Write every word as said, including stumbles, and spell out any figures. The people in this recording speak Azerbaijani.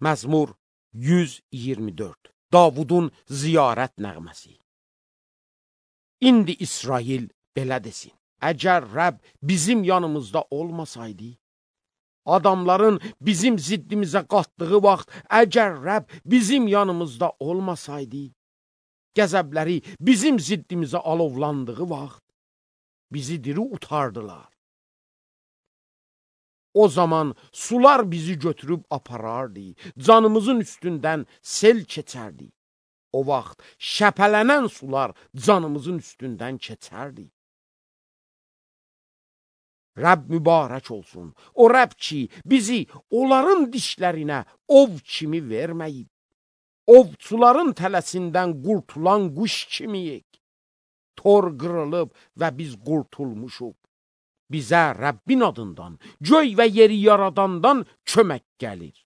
Məzmur yüz iyirmi dörd. Davudun ziyarət nəğməsi. İndi İsrail belə desin: əgər Rəbb bizim yanımızda olmasaydı, adamların bizim ziddimizə qatdığı vaxt, əgər Rəbb bizim yanımızda olmasaydı, qəzəbləri bizim ziddimizə alovlandığı vaxt, bizi diri utardılar. O zaman sular bizi götürüb aparardı, canımızın üstündən sel keçərdi. O vaxt şəpələnən sular canımızın üstündən keçərdi. Rəbb mübarək olsun. O Rəbb ki, bizi onların dişlərinə ov kimi verməyib. Ovçuların tələsindən qurtulan quş kimiyik. Tor qırılıb və biz qurtulmuşuq. Bizə Rəbbin adından, göy və yeri yaradandan kömək gəlir.